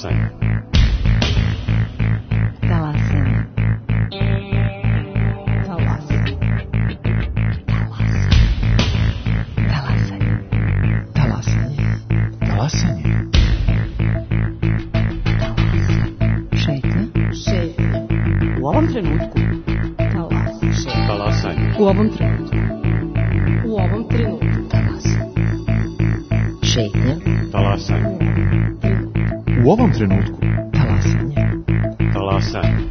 Talasanje. Talasanje. Talasanje. Talasanje. Talasanje. Talasanje. Šetnja. U ovom trenutku. Talasanje. U ovom trenutku. U ovom trenutku. Šetnja. Talasanje. U ovom trenutku. Talasanje. Talasanje.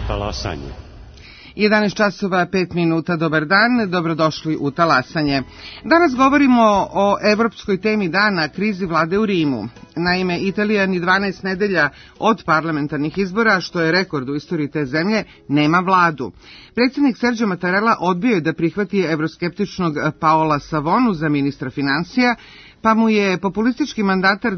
Talasanje. 11 časova 5 minuta, dobar dan, dobrodošli u Talasanje. Danas govorimo o evropskoj temi dana, krizi vlade u Rimu. Naime, Italija ni 12 nedelja od parlamentarnih izbora, što je rekord u istoriji te zemlje, nema vladu. Predsjednik Sergio Mattarella odbio je da prihvati evroskeptičnog Paola Savonu za ministra financija, pa mu je populistički mandatar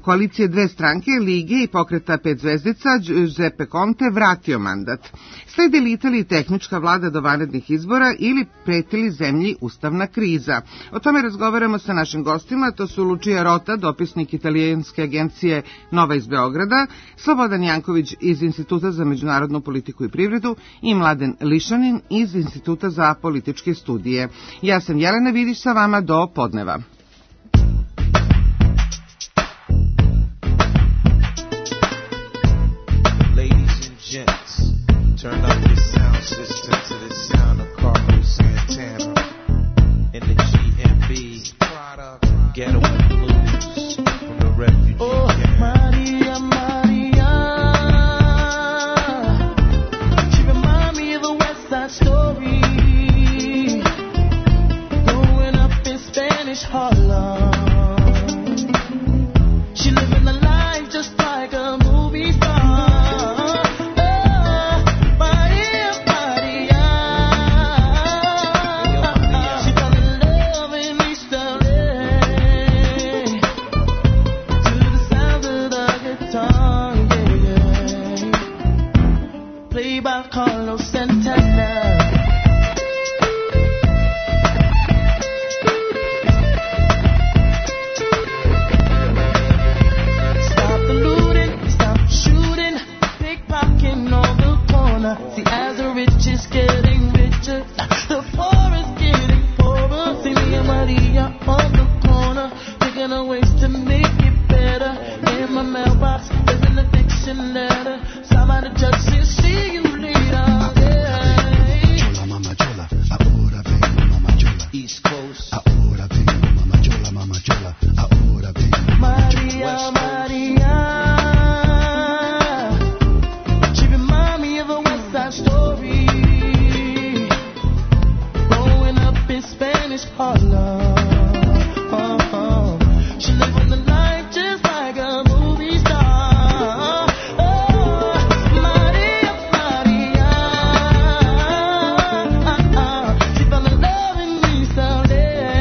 koalicije dve stranke, Lige i pokreta 5 zvezdica, Giuseppe Conte, vratio mandat. Sledi li Italiji tehnička vlada do vanrednih izbora ili preti li zemlji ustavna kriza? O tome razgovaramo sa našim gostima, to su Lucia Rota, dopisnik italijanske agencije Nova iz Beograda, Slobodan Janković iz Instituta za međunarodnu politiku i privredu i Mladen Lišanin iz Instituta za političke studije. Ja sam Jelena Vidić, sa vama do podneva. Turn up the sound system to the sound of Carlos Santana and the GMB Getaway Blues from the refugee camp. Maria, Maria, she remind me of a West Side Story, growing up in Spanish Harlem. She living a life just like a movie star. Carlos Santana. Stop the looting, stop shooting, pickpocketing on the corner. See, as the rich is getting richer, the poor is getting poorer. See me and Maria on the corner, thinking of ways to make it better. In my mailbox, there's an eviction letter. Somebody just says, see you later. East Coast. Ahora vengo, mama chola. Ahora vengo, Maria, Maria. She remind me of a West Side Story, growing up in Spanish Harlem. She living the life just like a movie star. Maria, Maria. She fell in love in me someday.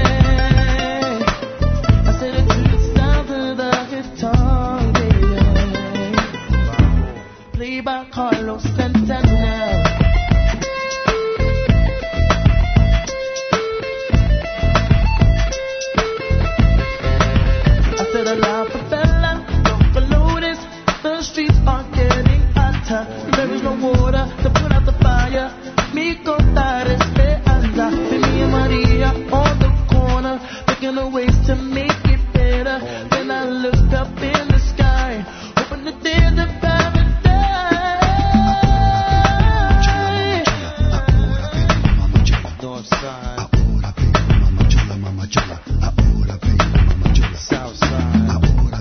I said it to the sound of the guitar, yeah. Played by Carlos Santana. I said a la favela, don't follow this. The streets are getting hotter. There is no water to put out the fire. Mi contar esperanza. Me and Maria on the corner, thinking of ways to make it better. Then I looked up in the sky, hoping that there's a paradise. North side. South side.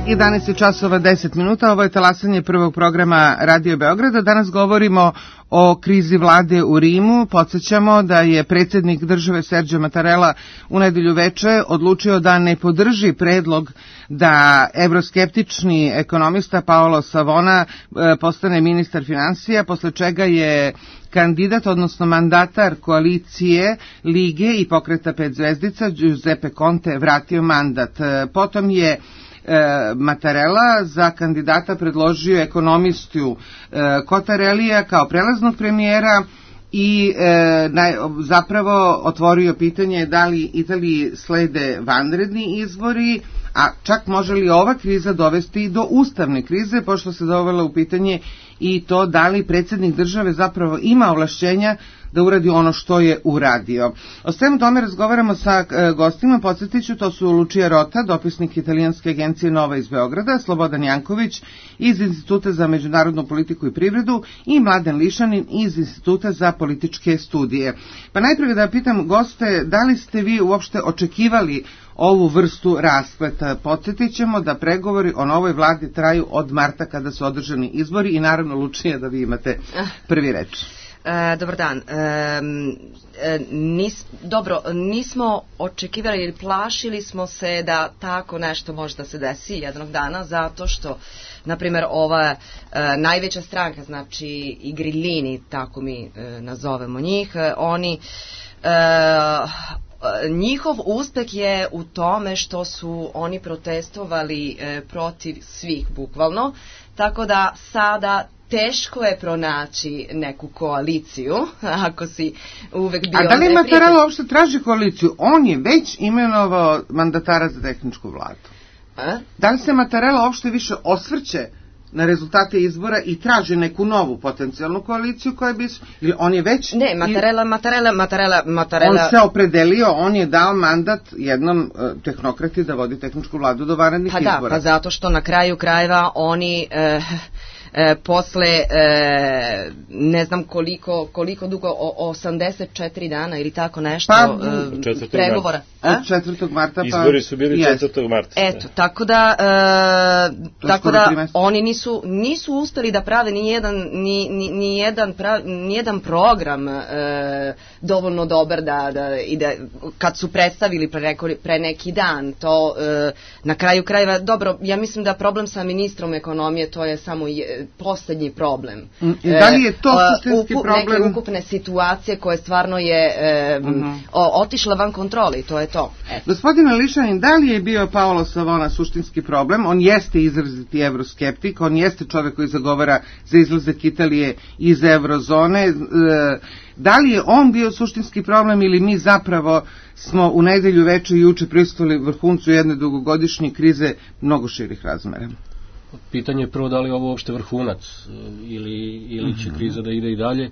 11 časova 10 minuta, ovo je talasanje prvog programa Radio Beograda. Danas govorimo o krizi vlade u Rimu. Podsjećamo da je predsjednik države Sergio Mattarella u nedelju veče odlučio da ne podrži predlog da evroskeptični ekonomista Paolo Savona postane ministar finansija, posle čega je kandidat, odnosno mandatar koalicije Lige i Pokreta pet zvezdica Giuseppe Conte vratio mandat. Potom je Mattarella za kandidata predložio ekonomistu Cottarellija kao prelaznog premijera i zapravo otvorio pitanje da li Italiji slede vanredni izbori, a čak može li ova kriza dovesti do ustavne krize, pošto se dovela u pitanje i to da li predsjednik države zapravo ima ovlašćenja da uradi ono što je uradio. O svemu tome razgovaramo sa gostima, podsjetiću, to su Lucia Rota, dopisnik italijanske agencije Nova iz Beograda, Slobodan Janković iz Instituta za međunarodnu politiku i privredu i Mladen Lišanin iz Instituta za političke studije. Pa najprije da pitam goste, da li ste vi uopšte očekivali ovu vrstu raspleta? Podsjetit ćemo da pregovori o novoj vladi traju od marta kada su održani izbori i naravno Lučija da vi imate prvi reč. Dobar dan. Nismo očekivali ili plašili smo se da tako nešto može da se desi jednog dana, zato što, na primjer, ova najveća stranka, znači i Grillini, tako mi nazovemo njih, oni njihov uspeh je u tome što su oni protestovali protiv svih, bukvalno, tako da sada teško je pronaći neku koaliciju, ako si uvek bio... A da li Mattarella uopšte traži koaliciju? On je već imenovao mandatara za tehničku vladu. Da li se Mattarella uopšte više osvrće na rezultate izbora i traži neku novu potencijalnu koaliciju koja bi... Ili on je već... Ne, Mattarella... On se opredelio, on je dao mandat jednom tehnokrati da vodi tehničku vladu do vanrednih izbora. Pa zato što na kraju krajeva oni... posle ne znam koliko dugo, 84 dana ili tako nešto pregovora. Od 4. marta pa... Izbori su bili 4. marta. Eto, tako da oni nisu uspeli da prave ni jedan program dovoljno dobar da kad su predstavili pre neki dan to na kraju krajeva, dobro, ja mislim da problem sa ministrom ekonomije to je samo poslednji problem. Da li je to suštinski problem? Neke ukupne situacije koje stvarno je otišla van kontrole i to je to. Gospodine Lišanin, da li je bio Paolo Savona suštinski problem? On jeste izraziti evroskeptik, on jeste čovjek koji zagovara za izlazak Italije iz eurozone. Da li je on bio suštinski problem ili mi zapravo smo u nedelju veče i juče prisustvovali vrhuncu jedne dugogodišnje krize mnogo širih razmera? Pitanje je prvo da li je ovo uopšte vrhunac ili će kriza da ide i dalje,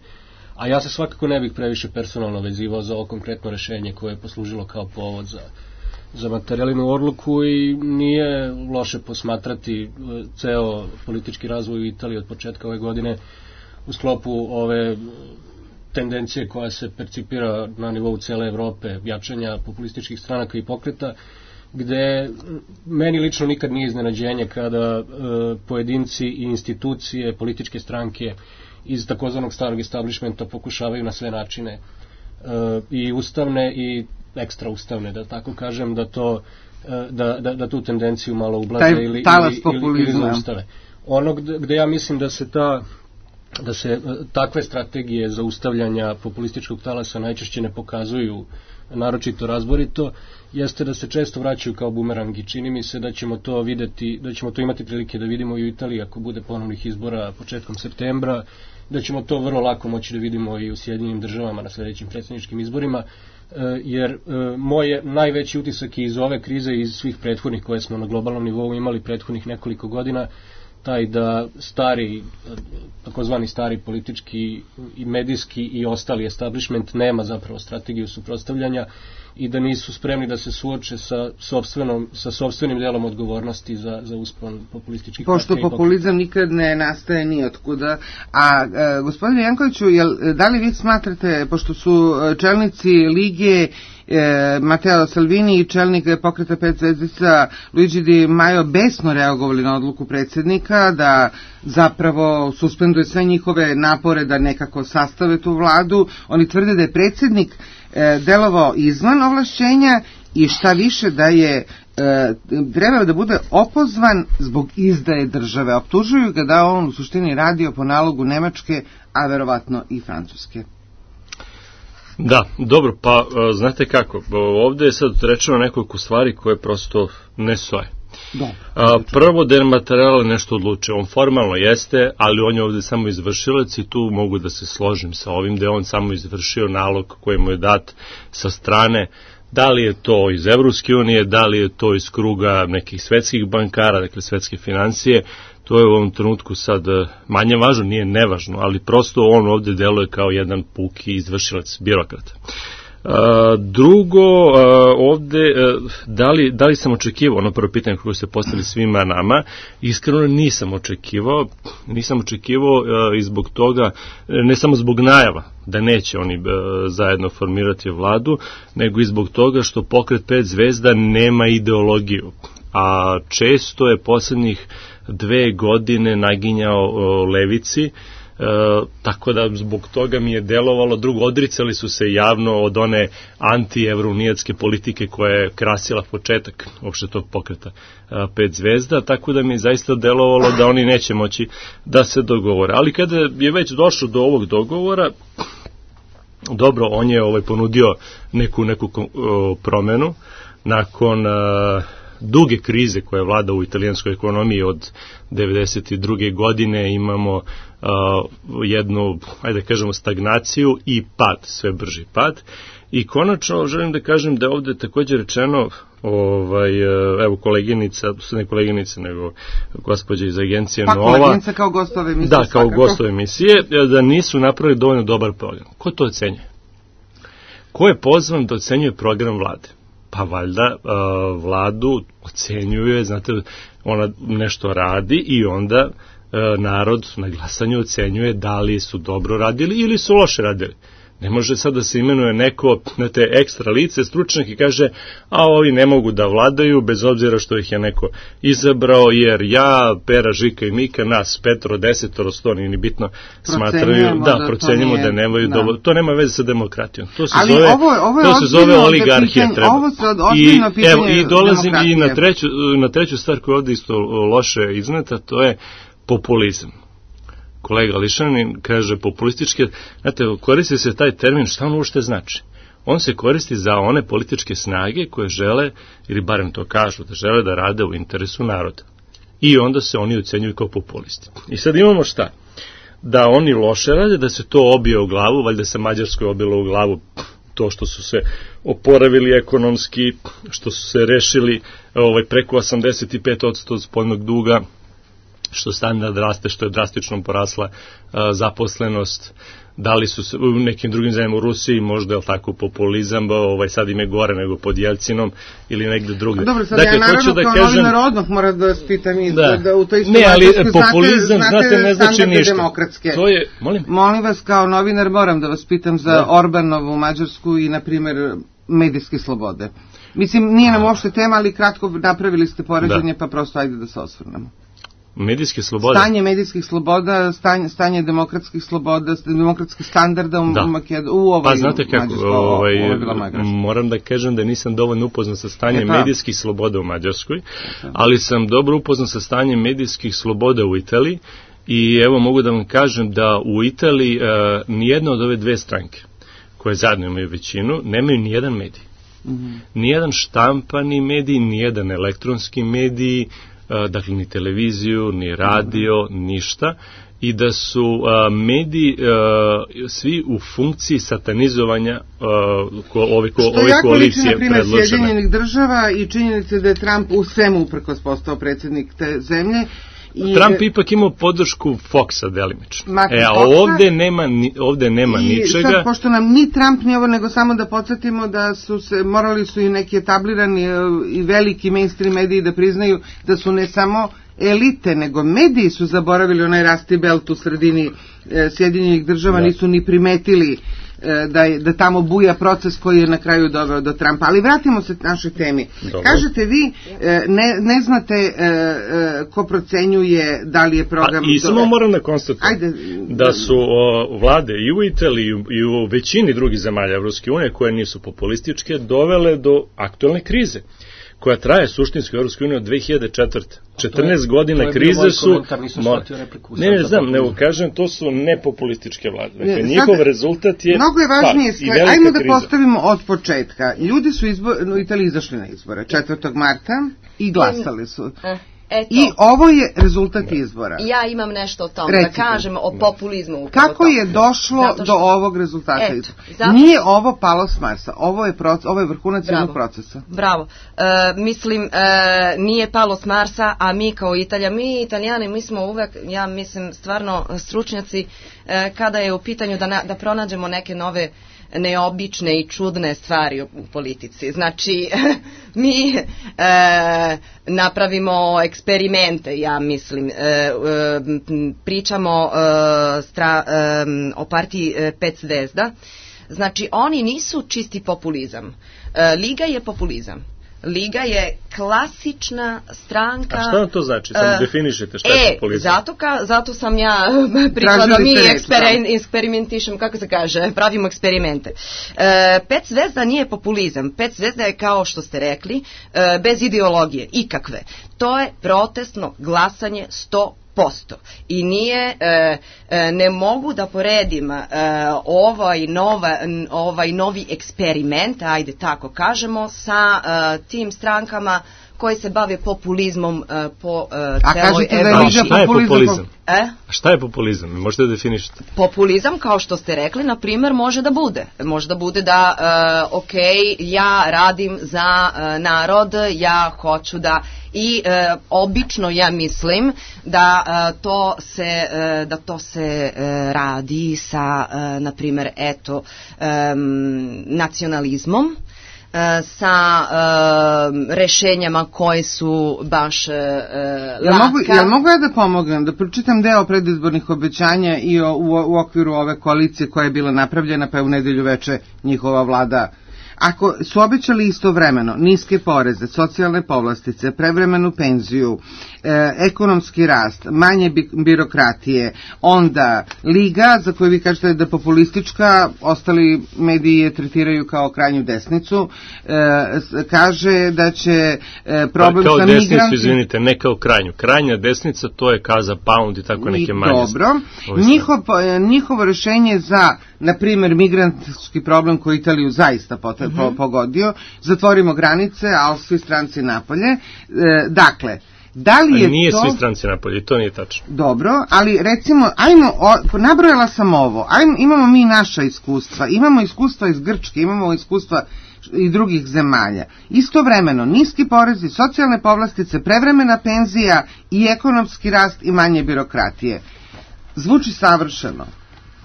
a ja se svakako ne bih previše personalno vezivao za ovo konkretno rešenje koje je poslužilo kao povod za Mattarellinu odluku i nije loše posmatrati ceo politički razvoj u Italiji od početka ove godine u sklopu ove tendencije koja se percipira na nivou cele Evrope, jačanja populističkih stranaka i pokreta, gde meni lično nikad nije iznenađenje kada pojedinci i institucije, političke stranke iz takozvanog starog establishmenta pokušavaju na sve načine i ustavne i ekstra ustavne, da tako kažem, da tu tendenciju malo ublaze ili zaustave. Ono gde ja mislim da se takve strategije zaustavljanja populističkog talasa najčešće ne pokazuju naročito razborito, jeste da se često vraćaju kao bumerang i čini mi se da ćemo to videti, da ćemo to imati prilike da vidimo i u Italiji ako bude ponovnih izbora početkom septembra, da ćemo to vrlo lako moći da vidimo i u Sjedinjenim državama na sljedećim predsjedničkim izborima, jer moj najveći utisak iz ove krize i iz svih prethodnih koje smo na globalnom nivou imali prethodnih nekoliko godina, taj da takozvani stari politički i medijski i ostali establishment nema zapravo strategiju suprotstavljanja i da nisu spremni da se suoče sa sopstvenim delom odgovornosti za uspon populističkih partija. Pošto populizam nikad ne nastaje ni otkuda. A gospodine Jankoviću, da li vi smatrate, pošto su čelnici Lige Matteo Salvini i čelnik pokreta 5 zvezdica Luigi Di Maio besno reagovali na odluku predsjednika da zapravo suspenduje sve njihove napore da nekako sastave tu vladu. Oni tvrde da je predsjednik delovao izvan ovlašćenja i šta više da je trebao da bude opozvan zbog izdaje države. Optužuju ga da on u suštini radio po nalogu Nemačke, a verovatno i Francuske. Da, dobro, pa znate kako, ovdje je sad rečeno nekoliko stvari koje prosto ne stoje. Prvo, dematerial nešto odlučio, on formalno jeste, ali on je ovdje samo izvršilac i tu mogu da se složim sa ovim da je on samo izvršio nalog koji mu je dat sa strane. Da li je to iz Evropske unije, da li je to iz kruga nekih svetskih bankara, dakle svetske financije, to je u ovom trenutku sad manje važno, nije nevažno, ali prosto on ovdje deluje kao jedan puki izvršilac, birokrat. Drugo, ovdje, da li sam očekivao, ono prvo pitanje koje se postavili svima nama, iskreno nisam očekivao i zbog toga, ne samo zbog najava da neće oni zajedno formirati vladu, nego i zbog toga što pokret 5 zvezda nema ideologiju, a često je posljednjih 2 godine naginjao levici, tako da zbog toga mi je delovalo. Drugo, odricali su se javno od one anti-evrounijatske politike koja je krasila početak uopšte tog pokreta 5 zvezda, tako da mi je zaista delovalo da oni neće moći da se dogovore. Ali kada je već došlo do ovog dogovora, dobro, on je ponudio neku promenu nakon duge krize koja vlada u italijanskoj ekonomiji od 92. godine. Imamo jednu, ajde da kažemo, stagnaciju i pad, sve brži pad. I konačno želim da kažem da je ovdje također rečeno, evo koleginica, ne koleginica, nego gospođa iz agencije Nova. Pa koleginica kao gostove emisije. Da, kao gostove emisije, da nisu napravili dovoljno dobar program. Ko to ocenjuje? Ko je pozvan da ocenjuje program vlade? Pa valjda vladu ocenjuje, znate, ona nešto radi i onda narod na glasanju ocenjuje da li su dobro radili ili su loše radili. Ne može sad da se imenuje neko, znate, ekstra lice, stručnjak i kaže, a ovi ne mogu da vladaju bez obzira što ih je neko izabrao, jer ja, Pera, Žika i Mika, nas 5, 10, 100, nije ni bitno, smatraju, procenjujemo da nemaju dobro, to nema veze sa demokratijom. To se zove oligarhija. I dolazim i na treću stvar koja je ovdje isto loše izneta, to je populizam. Kolega Lišanin kaže populističke, znate, koristi se taj termin, šta on uopšte znači? On se koristi za one političke snage koje žele, ili barem to kažu, da žele da rade u interesu naroda. I onda se oni ocenjuju kao populisti. I sad imamo šta? Da oni loše rade, da se to obije u glavu, valjda se Mađarskoj obilo u glavu to što su se oporavili ekonomski, što su se rešili preko 85% spoljnog duga, što standard raste, što je drastično porasla zaposlenost, da li su se, u nekim drugim zemljama u Rusiji možda je tako populizam, sad im je gore nego pod Jelcinom ili negde drugde. Dobro, sad dakle, ja naravno da kao novinar odmah moram da vas pitam da u toj istoj populizam, znate, ne znači ništa. To je, molim vas, kao novinar moram da vas pitam za Orbanovu Mađarsku i, na primjer, medijske slobode. Mislim, nije nam uopšte tema, ali kratko napravili ste poređenje, pa prosto ajde da se osvrnemo. Medijske slobode. Stanje medijskih sloboda, stanje demokratskih sloboda, demokratskih standarda u ovoj Pa znate kako, moram da kažem da nisam dovoljno upoznat sa stanjem medijskih sloboda u Mađarskoj, ali sam dobro upoznat sa stanjem medijskih sloboda u Italiji i evo mogu da vam kažem da u Italiji nijedna od ove dve stranke koje zajedno imaju većinu, nemaju nijedan medij. Nijedan štampani medij, nijedan elektronski medij, dakle ni televiziju, ni radio, ništa, i da su mediji svi u funkciji satanizovanja ove koalicije predložene. Što jako liči, na primjer, Sjedinjenih država i činjenice da je Trump u svemu uprkos postao predsjednik te zemlje. Trump ipak imao podršku Foxa delimično. Ovdje nema ničega. Sad, pošto nam ni Trump ni ovo, nego samo da podsjetimo da morali su i neki etablirani i veliki mainstream mediji da priznaju da su ne samo elite, nego mediji su zaboravili onaj Rusty Belt u sredini Sjedinjenih država, nisu ni primetili da tamo buja proces koji je na kraju doveo do Trumpa. Ali vratimo se našoj temi. Dobro. Kažete vi, ne znate ko procenjuje da li je program... I samo moram da konstatujem da su vlade i u Italiji i u većini drugih zemalja Evropske unije koje nisu populističke dovele do aktualne krize koja traje suštinski u Evropskoj uniji od 2004. 14 godina krize su... Ne znam, nego kažem, to su nepopulističke vlade. Dakle, njihov rezultat je... Mnogo je važnije stvar. Ajmo da postavimo od početka. Ljudi su u Italiji izašli na izbore 4. marta i glasali su. I ovo je rezultat izbora. Ja imam nešto o tom, da kažem o populizmu. Kako je došlo do ovog rezultata izbora? Nije ovo palo s Marsa, ovo je vrhunac jednog procesa. Bravo. Mislim, nije palo s Marsa, a mi kao mi Italijani, mi smo uvek, ja mislim, stvarno stručnjaci kada je u pitanju da pronađemo neke nove neobične i čudne stvari u politici. Znači, mi napravimo eksperimente, ja mislim, pričamo o partiji 5 zvezda. Znači, oni nisu čisti populizam. Liga je populizam. Liga je klasična stranka... A šta to znači? Samo definišete šta je populizam. Zato sam ja pričala da mi eksperimentišemo, kako se kaže, pravimo eksperimente. 5 zvezda nije populizam. 5 zvezda je, kao što ste rekli, bez ideologije, ikakve. To je protestno glasanje 100%. I nije, ne mogu da poredim ovaj novi eksperiment, ajde tako kažemo, sa tim strankama koji se bave populizmom po celoj Evropi. A šta je populizam? A šta je populizam? Možete da definišete? Populizam, kao što ste rekli, na primjer, može da bude. Može da bude da, ja radim za narod, ja hoću da... I obično ja mislim da to se radi sa, na primjer, nacionalizmom, sa rešenjama koje su baš laka. Ja mogu ja da pomognem, da pročitam deo predizbornih obećanja i u okviru ove koalicije koja je bila napravljena, pa je u nedelju veče njihova vlada. Ako su obećali istovremeno niske poreze, socijalne povlastice, prevremenu penziju, ekonomski rast, manje birokratije, onda Liga, za koju vi kažete da je populistička, ostali mediji je tretiraju kao krajnju desnicu, kaže da će problem sa migrantima... Kao desnicu, izvinite, ne kao krajnju. Krajnja desnica, to je Kaza Pound i tako neke manje. Dobro. Njihovo rešenje za, na primjer, migrantski problem koji Italiju zaista pogodio, zatvorimo granice, a svi stranci napolje. Dakle, da li je nije to... svi stranci napolje, to nije tačno. Dobro, ali recimo, nabrojala sam ovo, imamo mi naša iskustva, imamo iskustva iz Grčke, imamo iskustva i drugih zemalja. Istovremeno, niski porezi, socijalne povlastice, prevremena penzija i ekonomski rast i manje birokratije. Zvuči savršeno.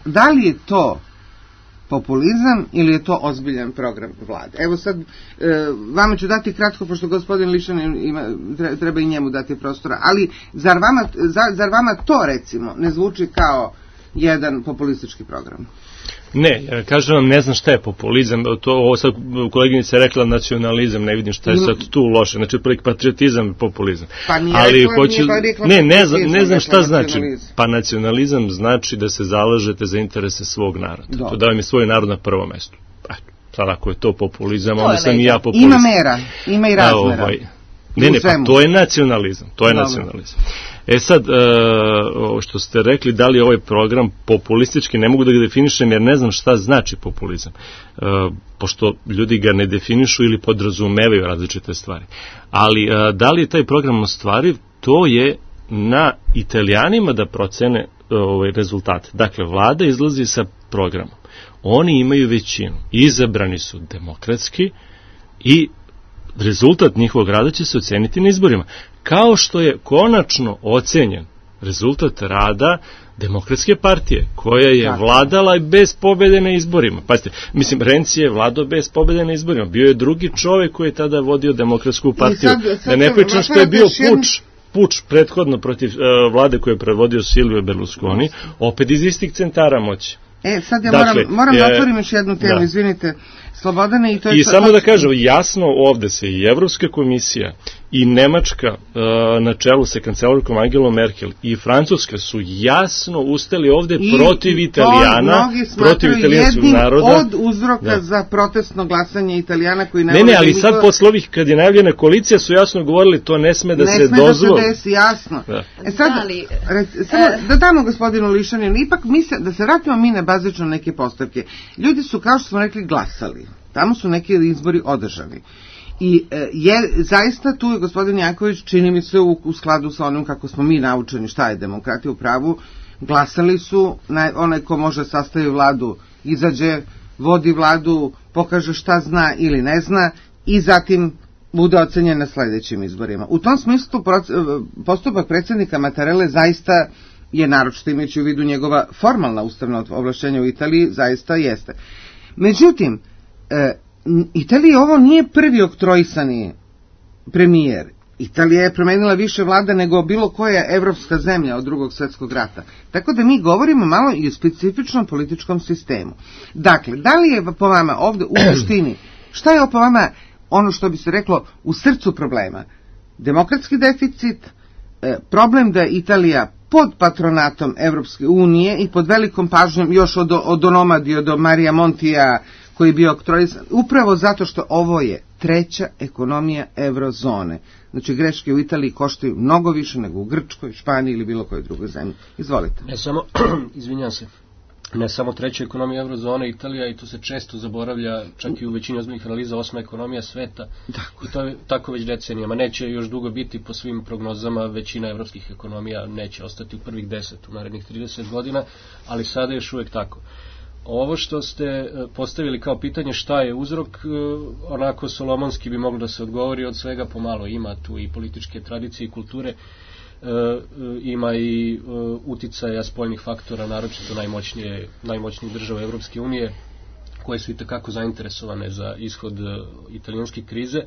Da li je to populizam ili je to ozbiljan program vlade? Evo sad, vama ću dati kratko, pošto gospodin Lišan treba i njemu dati prostora, ali zar vama to, recimo, ne zvuči kao jedan populistički program? Ne, ja kažem vam, ne znam šta je populizam, ovo sad koleginica je rekla nacionalizam, ne vidim šta je sad tu loše, znači patriotizam i populizam. Pa nije rekla ne znam šta znači, pa nacionalizam znači da se zalažete za interese svog naroda, to da vam je svoj narod na prvo mesto. Sad ako je to populizam, onda sam i ja populist. Ima mera, ima i razmera. Ne, pa to je nacionalizam, sad, što ste rekli, da li je ovaj program populistički, ne mogu da ga definišem jer ne znam šta znači populizam, pošto ljudi ga ne definišu ili podrazumevaju različite stvari. Ali da li je taj program ostvariv, to je na Italijanima da procene rezultate. Dakle, vlada izlazi sa programom. Oni imaju većinu, izabrani su demokratski i rezultat njihovog rada će se oceniti na izborima. Kao što je konačno ocenjen rezultat rada Demokratske partije, koja je vladala bez pobede na izborima. Pazite, mislim, Renzi je vladao bez pobede na izborima. Bio je drugi čovek koji je tada vodio Demokratsku partiju. Da ne pričam što je bio puč prethodno protiv vlade koju je predvodio Silvio Berlusconi, opet iz istih centara moći. Sad ja Dakle, moram da otvorim još jednu temu, izvinite, Slobodane, i to je... I samo da kažem, jasno ovde se i Evropska komisija i Nemačka na čelu sa kancelarkom Angelom Merkel i Francuska su jasno ustali ovde protiv Italijana, protiv italijanskog naroda. Od uzroka za protestno glasanje Italijana koji ne, ali sad posle ovih kad je najavljena koalicija su jasno govorili to ne sme da se dozvoli. Ne sme da se desi, jasno. Sad, samo da damo gospodinu Lišaninu, ipak da se vratimo mi na bazično neke postavke. Ljudi su, kao što smo rekli, glasali. Tamo su neki izbori održani. I zaista tu je gospodin Janković, čini mi se u skladu sa onim kako smo mi naučeni šta je demokratija u pravu, glasali su, onaj ko može sastavi vladu, izađe, vodi vladu, pokaže šta zna ili ne zna i zatim bude ocenjen na sledećim izborima. U tom smislu postupak predsjednika Mattarelle zaista je, naročito imajući u vidu njegova formalna ustavna ovlašćenja u Italiji, zaista jeste. Međutim, Italiji ovo nije prvi oktroisani premijer. Italija je promenila više vlada nego bilo koja evropska zemlja od Drugog svjetskog rata. Tako da mi govorimo malo i o specifičnom političkom sistemu. Dakle, da li je po vama ovde u suštini, šta je po vama ono što bi se reklo u srcu problema? Demokratski deficit, problem da Italija pod patronatom Evropske unije i pod velikom pažnjom još od Onomadi, do Marija Montija, koji je bio oktroisan, upravo zato što ovo je treća ekonomija eurozone. Znači, greške u Italiji koštaju mnogo više nego u Grčkoj, Španiji ili bilo kojoj drugoj zemlji. Izvolite. Ne samo, izvinjam se, ne samo treća ekonomija eurozone, Italija, i to se često zaboravlja, čak i u većini ozbiljnih analiza, 8. ekonomija sveta. I to je tako već decenijama. Neće još dugo biti, po svim prognozama, većina evropskih ekonomija neće ostati u prvih 10 u narednih 30 godina, ali sada je još uvijek tako. Ovo što ste postavili kao pitanje šta je uzrok, onako solomonski bi moglo da se odgovori od svega pomalo. Ima tu i političke tradicije i kulture, ima i uticaja spoljnih faktora, naročito najmoćnijih država Evropske unije, koje su itekako zainteresovane za ishod italijanske krize.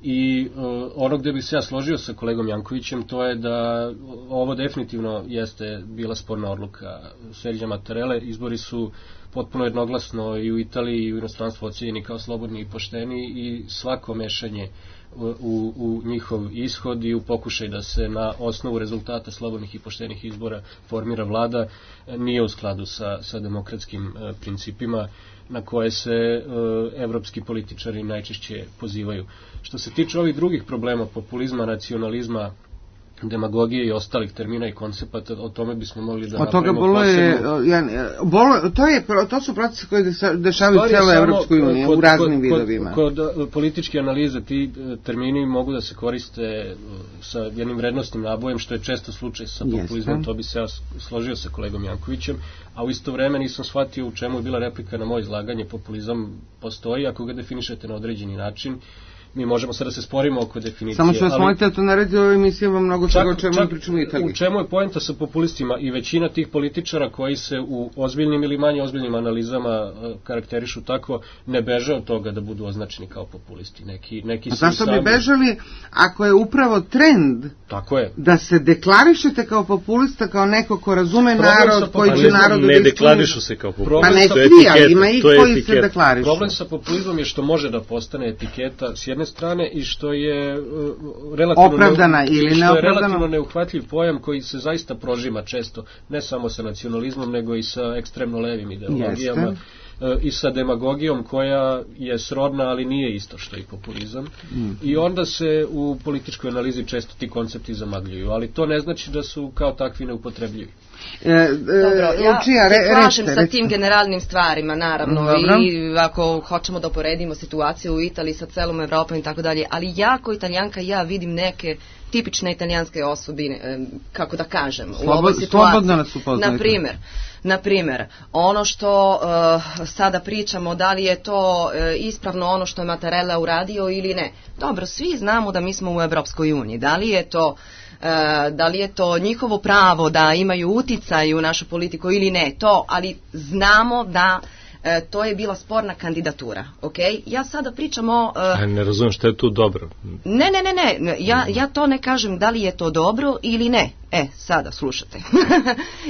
I ono gde bih se ja složio sa kolegom Jankovićem, to je da ovo definitivno jeste bila sporna odluka Serđa Mattarelle. Izbori su potpuno jednoglasno i u Italiji i u inostranstvu ocenjeni kao slobodni i pošteni, i svako mešanje u njihov ishod i u pokušaj da se na osnovu rezultata slobodnih i poštenih izbora formira vlada nije u skladu sa demokratskim principima na koje se evropski političari najčešće pozivaju. Što se tiče ovih drugih problema, populizma, nacionalizma, demagogije i ostalih termina i koncepata, o tome bismo mogli da napravimo posebno. To su procesi koji dešavaju u celoj Evropskoj uniji u raznim vidovima. Kod političke analize ti termini mogu da se koriste sa jednim vrednostnim nabojem, što je često slučaj sa populizmom. To bi se ja složio sa kolegom Jankovićem, a u isto vreme nisam shvatio u čemu je bila replika na moje izlaganje. Populizam postoji ako ga definišete na određeni način. Mi možemo sada se sporimo oko definicije. Samo što vas molite, to naredi u ovoj emisiji vam mnogo čega o čemu pričamo u Italiji. U čemu je poenta sa populistima? I većina tih političara koji se u ozbiljnim ili manje ozbiljnim analizama karakterišu tako, ne beže od toga da budu označeni kao populisti. A zašto bi bežali ako je upravo trend da se deklarišete kao populista, kao neko ko razume narod, koji će narodu da ne deklarišu se kao populista. Pa ne svi, ali ima i koji se deklarišu. Problem sa populizmom je što može da postane etiketa s jedne strane i što je relativno neuhvatljiv pojam koji se zaista prožima često, ne samo sa nacionalizmom, nego i sa ekstremno levim ideologijama i sa demagogijom koja je srodna, ali nije isto što i populizam. I onda se u političkoj analizi često ti koncepti zamagljuju, ali to ne znači da su kao takvi neupotrebljivi. Dobro, ja se slažem sa tim generalnim stvarima, naravno, i ako hoćemo da uporedimo situaciju u Italiji sa celom Evropom i tako dalje, ali ja kao Italijanka vidim neke tipične italijanske osobine, kako da kažem, u ovoj situaciji. Na primjer, ono što sada pričamo, da li je to ispravno ono što je Mattarella uradio ili ne. Dobro, svi znamo da mi smo u Evropskoj uniji. Da li je to njihovo pravo da imaju uticaj u našu politiku ili ne, ali znamo da to je bila sporna kandidatura, ok? Ja sada pričam o... Ne razumijem šta je tu dobro. Ne, ja to ne kažem da li je to dobro ili ne. Sada, slušate.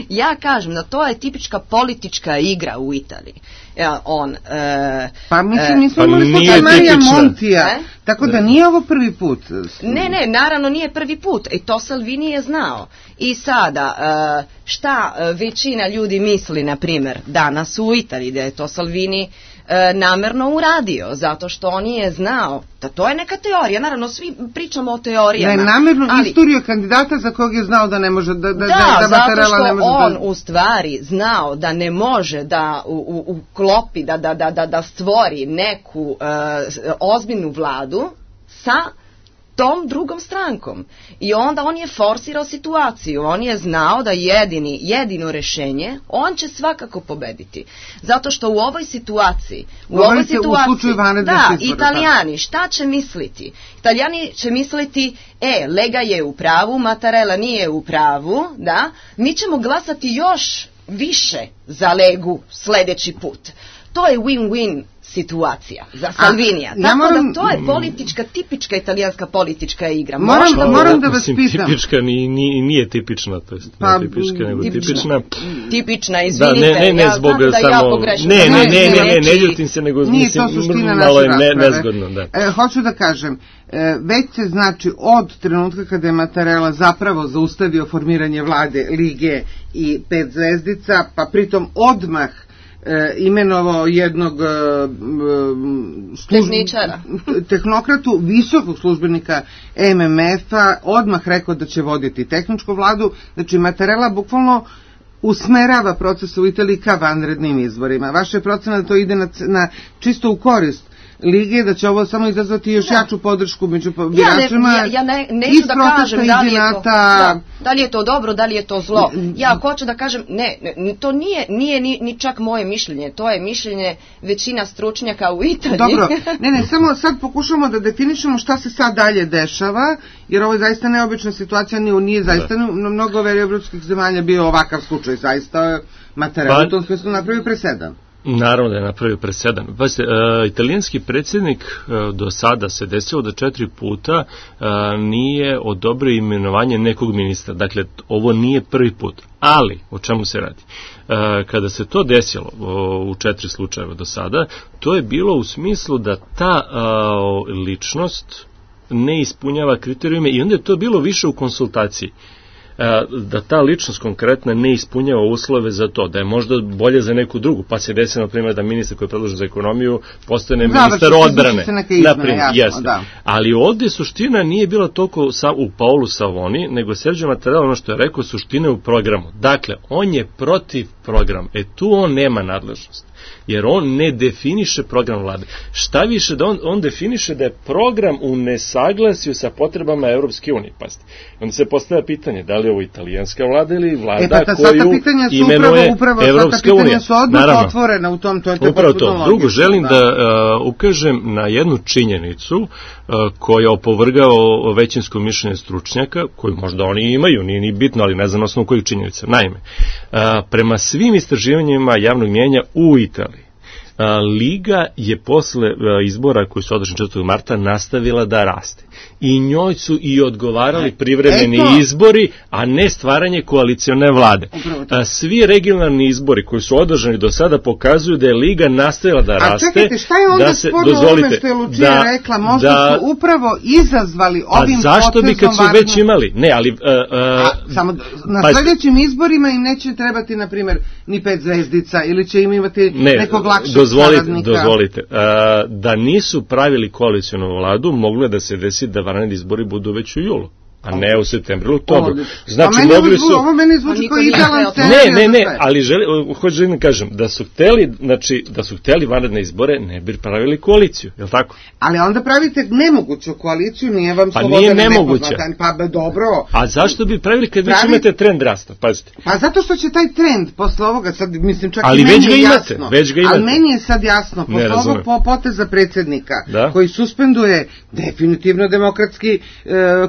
Ja kažem da to je tipička politička igra u Italiji. Pa mislim, nismo imali slučaj Marija Montija, tako da nije ovo prvi put. Ne, naravno nije prvi put. I to Salvini je znao. I sada, šta većina ljudi misli, na primjer, danas u Italiji, da je to Salvini namerno uradio, zato što on je znao da to je neka teorija, naravno svi pričamo o teorijama. Ne, namerno isturio kandidata za kog je znao da ne može da zato što on u stvari znao da ne može da uklopi, da stvori neku ozbiljnu vladu sa tom drugom strankom. I onda on je forsirao situaciju, on je znao da jedino rešenje, on će svakako pobediti. Zato što u ovoj situaciji, Italijani, šta će misliti? Italijani će misliti, Lega je u pravu, Mattarella nije u pravu, da, mi ćemo glasati još više za Legu sljedeći put. To je win-win situacija za Salvinija. Tako da to je politička, tipička italijanska politička igra. Moram da vas pitam. Tipička nije tipična, to jest ne tipička, nego tipična. Tipična, izvinite, ne zbog samo... Ne ljutim se, nego mislim, malo je nezgodno. Hoću da kažem, već se znači od trenutka kada je Mattarella zapravo zaustavio formiranje vlade Lige i 5 zvezdica, pa pritom odmah imenovao jednog tehnokratu, visokog službenika MMF-a, odmah rekao da će voditi tehničku vladu. Znači Mattarella bukvalno usmerava proces u Italiji ka vanrednim izborima. Vaša je procena da to ide na čisto u korist Lige, da će ovo samo izazvati još jaču podršku među biračima. Ja neću da kažem da li je to dobro, da li je to zlo. Ja hoću da kažem, to nije ni čak moje mišljenje, to je mišljenje većina stručnjaka u Italiji. Dobro, samo sad pokušamo da definišemo šta se sad dalje dešava, jer ovo je zaista neobična situacija, nije zaista na mnogo evropskih zemalja bio ovakav slučaj, zaista Mattarella u tom smislu napravio presedan. Naravno da je napravio presedan. Italijanski predsjednik do sada se desilo da 4 puta nije odobrio imenovanje nekog ministra. Dakle, ovo nije prvi put. Ali, o čemu se radi? Kada se to desilo u 4 slučajeva do sada, to je bilo u smislu da ta ličnost ne ispunjava kriterijume i onda je to bilo više u konsultaciji. Da ta ličnost konkretna ne ispunjava uslove za to, da je možda bolje za neku drugu, pa se desi na primjer da ministar koji je predložen za ekonomiju postane ministar odbrane. Ali ovdje suština nije bila toliko u Paolu Savoni, nego Sergio Mattarella, ono što je rekao, suština je u programu. Dakle, on je protiv programa. Tu on nema nadležnost. Jer on ne definiše program vlade. Šta više, da on definiše da je program u nesaglasju sa potrebama Europske unije. Pazite. Onda se postavlja pitanje, da li je ovo italijanska vlada ili vlada koju imenuje Europska unija. Su odmah otvorena u tom, to je upravo to. Drugo, želim da ukažem na jednu činjenicu koja opovrgao većinsko mišljenje stručnjaka, koju možda oni imaju, nije ni bitno, ali ne znam na osnovu kojih činjenica. Naime, prema svim istraživanjima javnog mnijenja u Italiji, Liga je posle izbora koji su održani 4. marta nastavila da raste. I njoj su i odgovarali privremeni izbori, a ne stvaranje koalicione vlade. Svi regionalni izbori koji su održani do sada pokazuju da je Liga nastavila da raste. A čekajte, šta je onda sporno ovome što je Lucija rekla? Možda su upravo izazvali ovim potezom... A zašto bi kad su već imali? Ne, ali... Samo na sljedećim izborima im neće trebati, na primjer, ni 5 zvezdica, ili će im imati nekog lakšeg saradnika. Dozvolite. Da nisu pravili koalicionu vladu, moglo je da se desi da vanredni izbori budu već u julu, a ne u septembru ili oktobru. Znači, mogli su... Ovo meni zvuči kao idealan scenarij. Ne, ali želim da kažem, da su hteli vanredne izbore, ne bi pravili koaliciju, je li tako? Ali onda pravite nemoguću koaliciju, nije vam slobodan i nepoznatan. Pa dobro. A zašto bi pravili kad već imate trend rasta, pazite? Pa zato što će taj trend posle ovoga, sad mislim čak ali i meni je jasno. Ali meni je sad jasno, posle ovog poteza predsjednika, koji suspenduje definitivno demokratski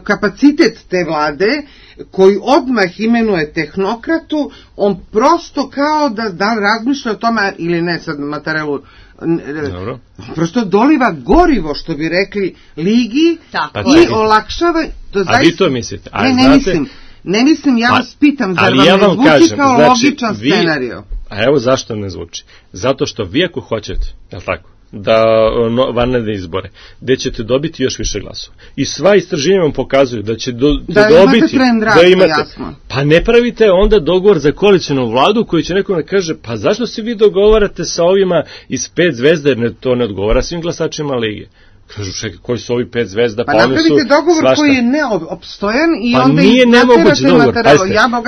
kapacitet kabinet te vlade, koji odmah imenuje tehnokratu, on prosto kao da razmišlja o tome, ili ne sad Mattarellu, prosto doliva gorivo, što bi rekli, ligi i olakšava. A vi to mislite? Ne mislim, ja vas pitam, zar vam ne zvuči kao logičan scenario? A evo zašto ne zvuči. Zato što vi ako hoćete, je li tako, da vanredne izbore, gde ćete dobiti još više glasova. I sva istraživanja vam pokazuju da će dobiti, da imate, pa ne pravite onda dogovor za koalicionu vladu koji će nekom da kaže, pa zašto se vi dogovarate sa ovima iz 5 zvezda, jer to ne odgovara svim glasačima lige. Kažu, čekaj, koji su ovi 5 zvezda, pa napravite dogovor koji je neopstojan i pa onda nije nemoguć dogovor,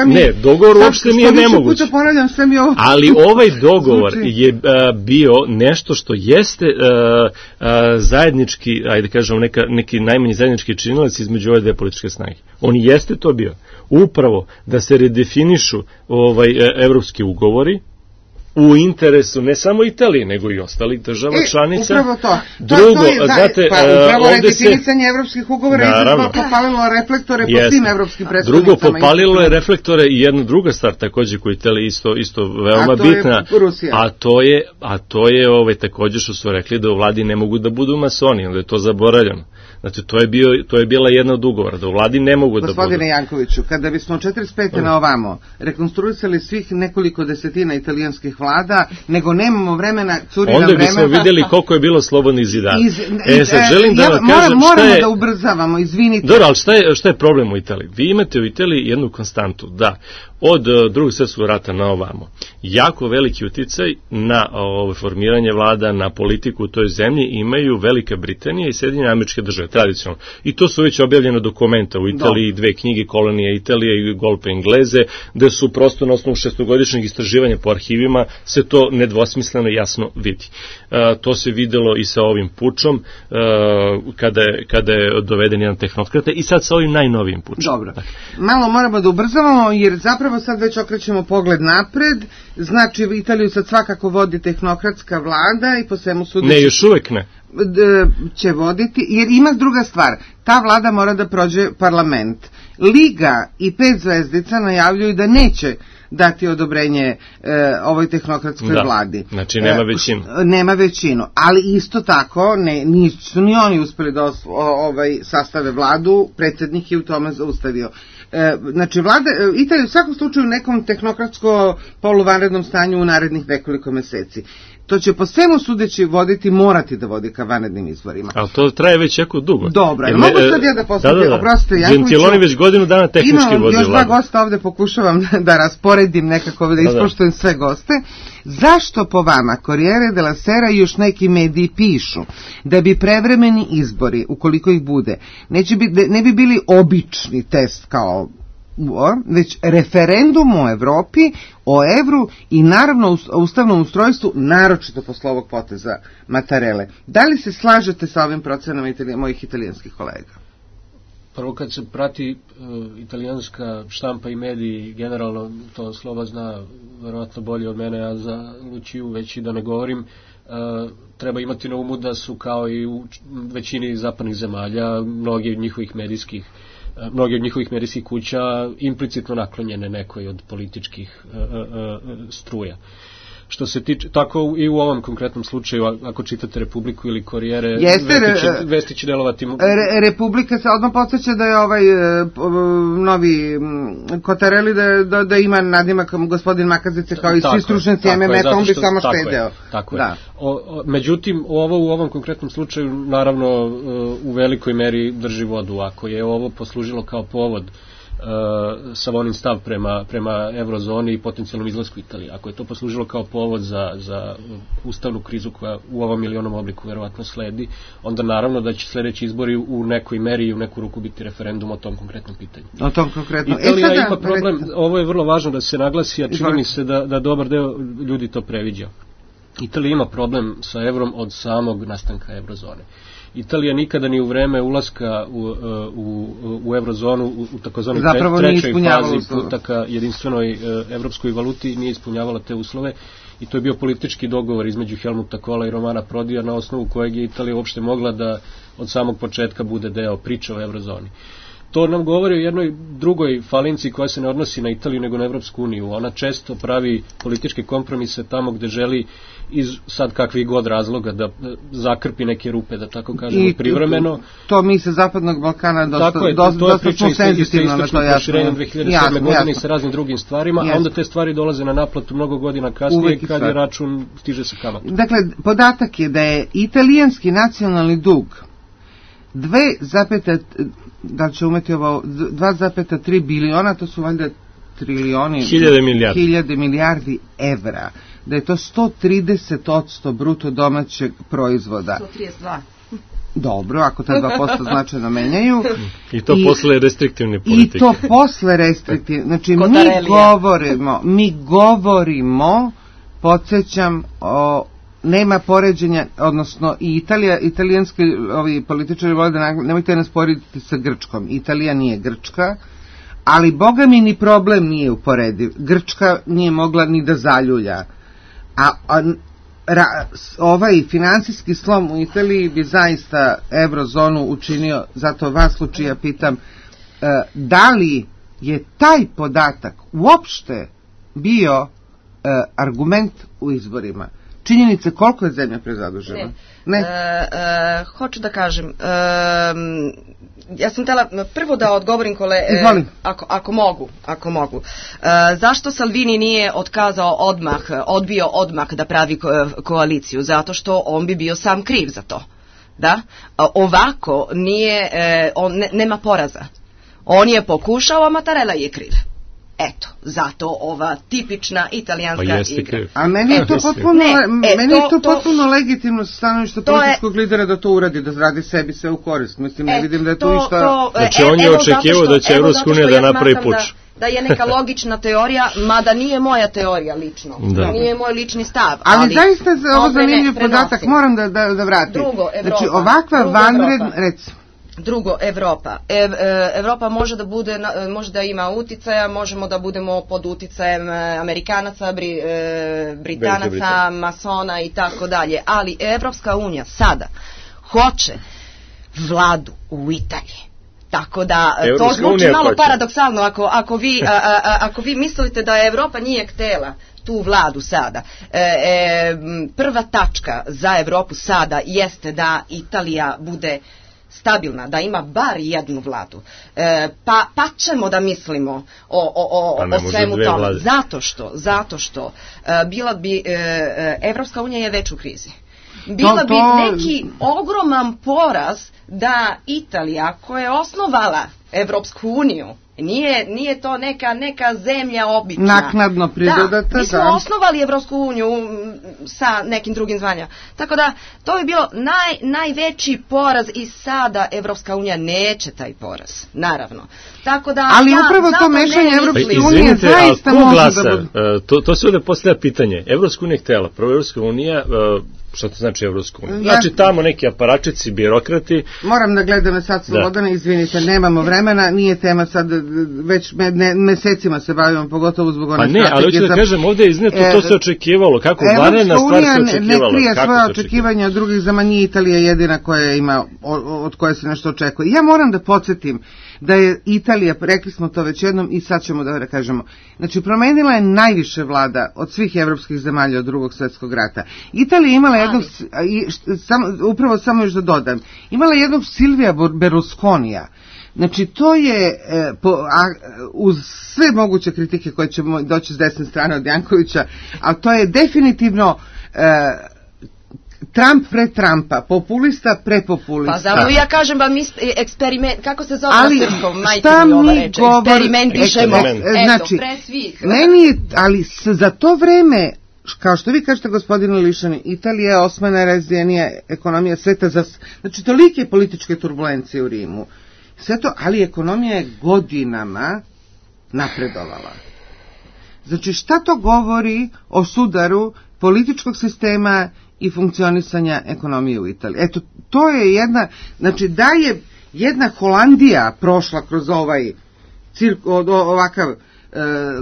ne, dogovor uopšte nije nemoguć, ali ovaj dogovor je bio nešto što jeste zajednički, ajde kažemo, neki najmanji zajednički činilac između ove dve političke snage. On jeste to bio, upravo da se redefinišu evropski ugovori, u interesu ne samo Italije, nego i ostalih država članica. Upravo to. Drugo, znate, upravo redefinisanje evropskih ugovora je popalilo reflektore po svim evropskim predstavnicama. Drugo, popalilo je reflektore i jedna druga stvar takođe koja Italija isto veoma bitna, a to je takođe što su rekli da u vladi ne mogu da budu masoni, onda je to zaboravljeno. Znači, to je bila jedna od ugovora, da u vladi ne mogu da budu. Gospodine Jankoviću, kada bismo 45. na ovamo rekonstruisali svih nekoliko desetina italijanskih vlada, nego nemamo vremena, curi nam vremena. Onda bismo vidjeli koliko je bilo slobodnih zidara. Sad želim da vam kažem moramo da ubrzavamo, izvinite. Dobro, ali šta je problem u Italiji? Vi imate u Italiji jednu konstantu, da od drugog svjetskog rata na ovamo jako veliki uticaj na formiranje vlada, na politiku u toj zemlji imaju Velika Britanija i Sjedinjene Američke Države, tradicionalno. I to su već objavljeno dokumenta u Italiji, 2 knjige, Kolonija Italije i Golpe Engleze, gde su prosto na osnovu 6-godišnjeg istraživanja po arhivima se to nedvosmisleno jasno vidi. To se videlo i sa ovim pučom, kada je doveden jedan tehnokrata, i sad sa ovim najnovijim pučom. Dobro, malo moramo da ubrzavamo, jer zapravo sad već okrećemo pogled napred. Znači, Italiju sad svakako vodi tehnokratska vlada i po svemu sudeći... Ne, još uvek ne. Će voditi, jer ima druga stvar. Ta vlada mora da prođe parlament. Liga i 5 zvezdica najavljuju da neće dati odobrenje ovoj tehnokratskoj vladi. Znači nema većinu. Nema većinu, ali isto tako nisu ni oni uspeli da sastave vladu, predsjednik je u tome zaustavio. Znači, Italija u svakom slučaju u nekom tehnokratsko-poluvanrednom stanju u narednih nekoliko meseci. To će po svemu sudeći morati da vodi ka vanrednim izborima. Ali to traje već jako dugo. Dobro, mogu sad ja da postavljam, oprostite, Gentiloni već godinu dana tehnički vodi vladu. Imam još 2 gosta ovde, pokušavam da rasporedim nekako, da ispoštujem sve goste. Zašto po vama Corriere della Sera i još neki mediji pišu da bi prevremeni izbori, ukoliko ih bude, ne bi bili obični test kao već referendum o Evropi, o evru i naravno o ustavnom ustrojstvu, naročito posle ovog poteza Mattarelle. Da li se slažete sa ovim procenama mojih italijanskih kolega? Prvo, kad se prati italijanska štampa i mediji, generalno to Sloba zna verovatno bolje od mene, a za Lučiju već i da ne govorim, treba imati na umu da su kao i u većini zapadnih zemalja mnogi od njihovih medijskih kuća implicitno naklonjene nekoj od političkih struja. Što se tiče, tako i u ovom konkretnom slučaju, ako čitate Republiku ili Corriere, vesti će delovati... Republika se odmah podsjeća da je novi Cottarelli da ima nadimak gospodin Makazice kao i svi stručnjaci MMF-a, on bi samo štedeo. Tako je. Međutim, u ovom konkretnom slučaju, naravno, u velikoj meri drži vodu. Ako je ovo poslužilo kao povod Savonин stav prema eurozoni i potencijalnom izlasku Italije. Ako je to poslužilo kao povod za ustavnu krizu koja u ovom ili onom obliku verovatno sledi, onda naravno da će sledeći izbori u nekoj meri i u neku ruku biti referendum o tom konkretnom pitanju. O tom konkretnom. Italija ima problem, ovo je vrlo važno da se naglasi, a čini mi se da dobar deo ljudi to previđa. Italija ima problem sa evrom od samog nastanka eurozone. Italija nikada ni u vreme ulaska u eurozonu, u takozvanoj trećoj fazi puta ka jedinstvenoj evropskoj valuti nije ispunjavala te uslove, i to je bio politički dogovor između Helmuta Kohla i Romana Prodija, na osnovu kojeg je Italija uopšte mogla da od samog početka bude deo priče o eurozoni. To nam govori o jednoj drugoj falinci koja se ne odnosi na Italiju nego na Evropsku uniju. Ona često pravi političke kompromise tamo gde želi iz sad kakvih god razloga da zakrpi neke rupe, da tako kažemo, privremeno. To mi se Zapadnog Balkana dosta smo senzitivno na to, jasno. 2007. godine sa raznim drugim stvarima, a onda te stvari dolaze na naplatu mnogo godina kasnije kad je račun stiže sa kamatom. Dakle, podatak je da je italijanski nacionalni dug 2,3 biliona, to su valjda trilioni, hiljade milijardi evra, da je to 130% bruto domaćeg proizvoda. 132. Dobro, ako ta 2% značajno menjaju. I to posle restriktivne politike. I to posle restriktivne. Znači, mi govorimo, podsjećam, nema poređenja, odnosno i italijanski političari vole da nemojte nas porediti sa Grčkom. Italija nije Grčka, ali boga mi ni problem nije uporediv. Grčka nije mogla ni da zaljulja. Ovaj finansijski slom u Italiji bi zaista eurozonu učinio, zato vas, Lučija, pitam, da li je taj podatak uopšte bio argument u izborima? Činjenice koliko je zemlja prezadužena? Ne. Hoću da kažem, ja sam htjela prvo da odgovorim ako mogu. Zašto Salvini nije odbio odmah da pravi koaliciju? Zato što on bi bio sam kriv za to. Da? Ovako nema poraza. On je pokušao, a Mattarella je kriv. Eto, zato ova tipična italijanska igra. A meni je to potpuno legitimno stanovište političkog lidera da to uradi, da radi sebi sve u korist. Mislim, ne vidim da je to išta... Znači, on je očekivao da će Evropska unija da napravi puč. Da je neka logična teorija, mada nije moja teorija lično. Nije moj lični stav. Ali zaista je ovo zanimljiv podatak, moram da vratim. Drugo, Evropa. Znači, ovakva vanredna... Drugo, Evropa. Evropa može da ima uticaja, možemo da budemo pod uticajem Amerikanaca, Britanaca, masona i tako dalje. Ali Evropska unija sada hoće vladu u Italiji. Tako da to zvuči malo paradoksalno ako vi mislite da Evropa nije htjela tu vladu sada. Prva tačka za Evropu sada jeste da Italija bude stabilna, da ima bar jednu vladu. Pa ćemo da mislimo o svemu tome. Zato što bila bi Evropska unija je već u krizi. Bila bi neki ogroman poraz da Italija koja je osnovala Evropsku uniju, nije to neka zemlja obična. Naknadno pridodata. Mi smo osnovali Evropsku uniju sa nekim drugim zvanjama. Tako da, to bi bilo najveći poraz i sada Evropska unija neće taj poraz. Naravno. Tako da, ali upravo to mešanje Evropske unije zaista može da bude. To se ovdje postavlja pitanje. Evropska unija je htjela. Prvo Evropska unija... Šta to znači Evropska unija? Znači tamo neki aparačici, birokrati... Moram da gledam sad Slobodana, izvinite, nemamo vremena, nije tema sad, već mesecima se bavimo, pogotovo zbog one strategije. Pa ne, ali hoću da kažem, ovdje je izneto, to se očekivalo, kako vanredna stvar se očekivala. Evropska unija ne krije svoje očekivanja od drugih zemalja, nije Italija jedina koja ima, od koje se nešto očekuje. Ja moram da podsjetim da je Italija, rekli smo to već jednom i sad ćemo da kažemo, znači promenila je najviše vlada od svih evropskih zemalja od Drugog svjetskog rata. Italija imala jednog, upravo samo još da dodam, imala jednog Silvija Berlusconija. Znači to je, uz sve moguće kritike koje će doći s desne strane od Jankovića, ali to je definitivno... Trump pre Trumpa, populista pre populista. Pa zato ja kažem vam eksperiment, kako se zove na srpskom, majke mi ova reče, eksperimentišemo, eto, pre svih. Ali za to vreme, kao što vi kažete gospodine Lišani, Italija je 8. najrazvijenija ekonomija sveta, znači tolike političke turbulencije u Rimu. Sve to, ali ekonomija je godinama napredovala. Znači šta to govori o sudaru političkog sistema i funkcionisanja ekonomije u Italiji? Eto, to je jedna, znači da je jedna Holandija prošla kroz ovaj ovakav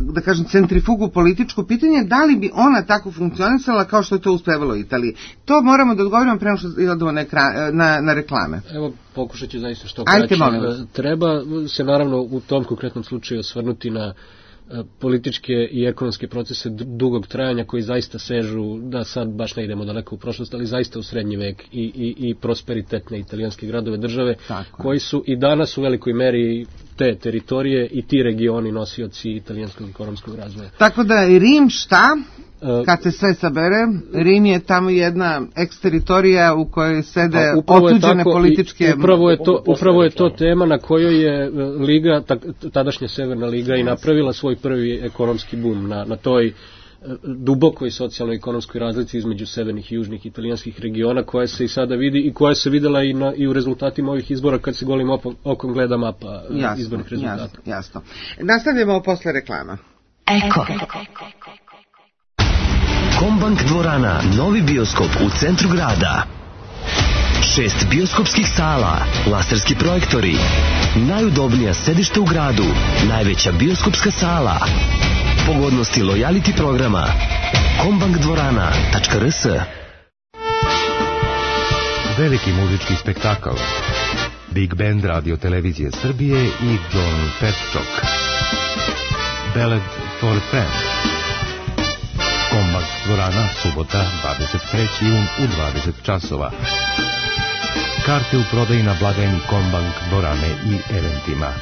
da kažem, centrifugu političku, pitanje da li bi ona tako funkcionisala kao što je to uspevalo Italiji. To moramo da odgovorimo prema što idemo na reklame. Evo, pokušat ću zaista što kraće. Treba se naravno u tom konkretnom slučaju osvrnuti na političke i ekonomske procese dugog trajanja koji zaista sežu, da sad baš ne idemo daleko u prošlost, ali zaista u srednji vek i prosperitetne italijanske gradove države, koji su i danas u velikoj meri te teritorije i ti regioni nosioci italijanskog ekonomskog razvoja. Tako da je Rim šta? Kad se sve sabere, Rim je tamo jedna eksteritorija u kojoj sede otuđene političke... Upravo je to tema na kojoj je Liga, tadašnja Severna Liga, i napravila svoj prvi ekonomski bum na toj dubokoj socijalno-ekonomskoj razlici između severnih i južnih italijanskih regiona, koja se i sada vidi i koja se videla i u rezultatima ovih izbora kad se golim okom gleda mapa izbornih rezultata. Jasno. Nastavljamo posle reklama. Eko. Kombank dvorana, novi bioskop u centru grada. 6 bioskopskih sala, laserski projektori, najudobnija sedište u gradu, najveća bioskopska sala, pogodnosti lojality programa, kombankdvorana.rs. Veliki muzički spektakl, Big Band Radio Televizije Srbije i John Petchok, Ballad for a Friend. Kombank dvorana, subota, 23. jun u 20 časova. Karte u prodaji na blagajni Kombank dvorane i eventima.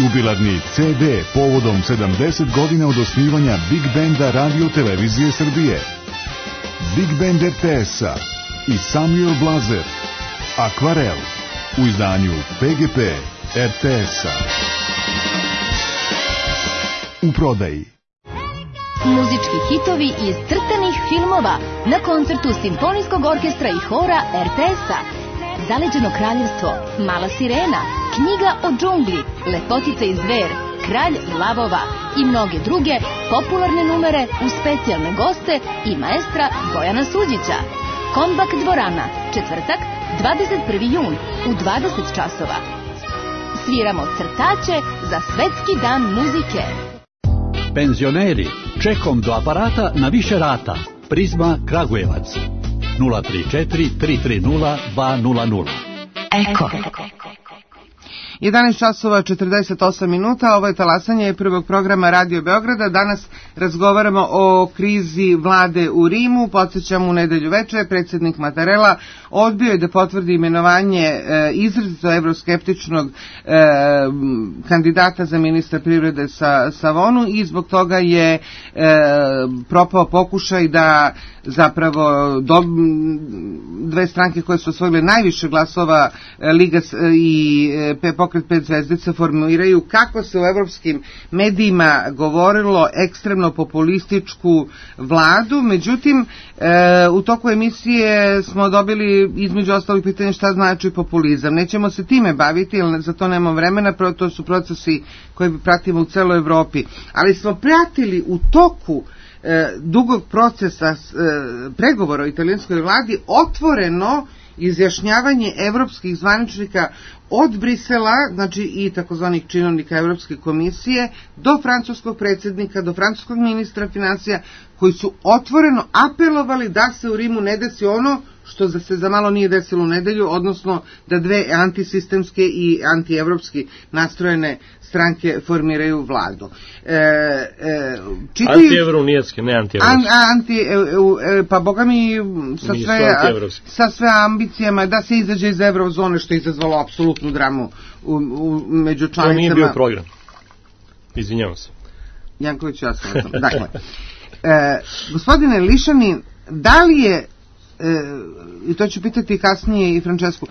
Jubilarni CD povodom 70 godina od osnivanja Big Banda Radio Televizije Srbije. Big Band RTS-a i Samuel Blazer. Akvarel u izdanju PGP RTS-a. U prodaji. Muzički hitovi iz crtanih filmova na koncertu Simfonijskog orkestra i hora RTS-a. Zaleđeno kraljevstvo, Mala sirena, Knjiga o džungli, Lepotica i zver, Kralj lavova i mnoge druge popularne numere uz specijalne goste i maestra Bojana Suđića. Kombank dvorana, četvrtak, 21. jun u 20 časova. Sviramo crtače za Svetski dan muzike. Penzioneri, čekom do aparata na više rata. Prizma Kragujevac. 034 330 200. Eko. 11 časova 48 minuta, ovo je talasanje prvog programa Radio Beograda. Danas razgovaramo o krizi vlade u Rimu. Podsjećam, u nedelju veče predsjednik Mattarella odbio je da potvrdi imenovanje izrazito evroskeptičnog kandidata za ministra privrede Savonu i zbog toga je propao pokušaj da zapravo dve stranke koje su osvojile najviše glasova, Liga i Pokret 5 zvezdica, formiraju, kako se u evropskim medijima govorilo, ekstremno populističku vladu. Međutim, u toku emisije smo dobili između ostalih pitanja šta znači populizam. Nećemo se time baviti, jer za to nemamo vremena, to su procesi koje pratimo u celoj Evropi. Ali smo pratili u toku dugog procesa pregovora o italijanskoj vladi otvoreno izjašnjavanje evropskih zvaničnika od Brisela, znači i takozvanih činovnika Evropske komisije, do francuskog predsjednika, do francuskog ministra financija, koji su otvoreno apelovali da se u Rimu ne desi ono što se za malo nije desilo u nedelju, odnosno da dve antisistemske i antievropski nastrojene stranke formiraju vladu. Antievrounijetske, ne antievropske. Pa boga mi sa sve ambicijama da se izađe iz evrozone, što je izazvalo apsolutnu dramu među članicama. To nije bio program. Izvinjavam se. Janković, ja sam. Dakle, gospodine Lišanin, da li je, i to ću pitati kasnije i Francesku,